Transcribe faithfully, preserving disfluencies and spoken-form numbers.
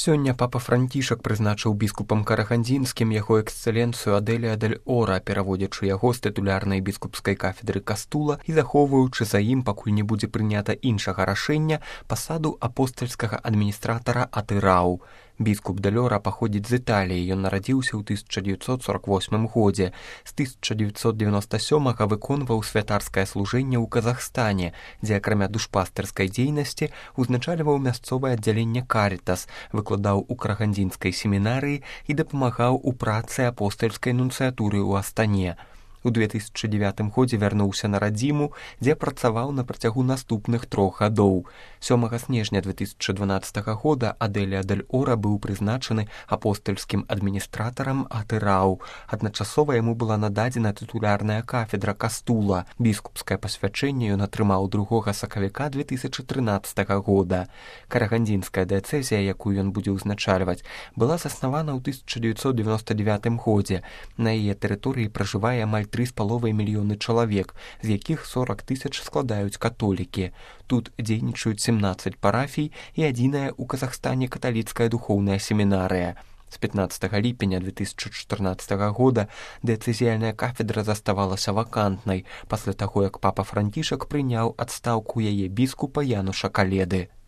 Сёння папа Францішак прызначыў біскупам карагандзінскім яго эксцэленцыю Адэлія дэль Ора, пераводзячы яго з тытулярнай біскупскай кафедры Кастула і захоўваючы за ім, пакуль не будзе прынята іншага рашэння, пасаду апостальскага адміністратара Атырау. Біскуп дэль Ора паходзіць з Італіі, ён нарадзіўся ў тысяча дзевяцьсот сорок восьмым годзе. З тысяча дзевяцьсот девяносто сёмага выконваў святарскае служэнне ў Казахстане, дзе акрамя душпастырскай дзейнасці узначальваў мясцовае аддзяленне Карытас, выкладаў у карагандзінскай семінарыі і дапамагаў у працы апостальскай нунцыятуры ў Астане. У две тысячы дзевятым годзе вярнуўся на радзіму, дзе працаваў на працягу наступных трох гадоў. сёмага снежня две тысячы дванаццатага года Адэлія дэль Ора быў прызначаны апостальскім адміністратарам Атырау. Адначасова яму была нададзена тытулярная кафедра Кастула. Біскупскае пасвячэнне ён атрымаў другога сакавіка две тысячы трынаццатага года. Карагандзінская дыяцэзія, якую ён будзе ўзначальваць, была заснавана ў тысяча дзевяцьсот девяносто девятым годзе. На яе тэрыторыі пражывае амаль тры з паловай мільёны чалавек, з якіх сорок тысяч складаюць католікі. Тут дзейнічаюць семнаццаць парафій і адзіная ў Казахстане каталіцкая духоўная семінарыя. З пятнаццатага ліпеня две тысячы чатырнаццатага года дыяцэзіяльная кафедра заставалася вакантнай, пасля таго, як папа Францішак прыняў адстаўку яе біскупа Януша Каледы.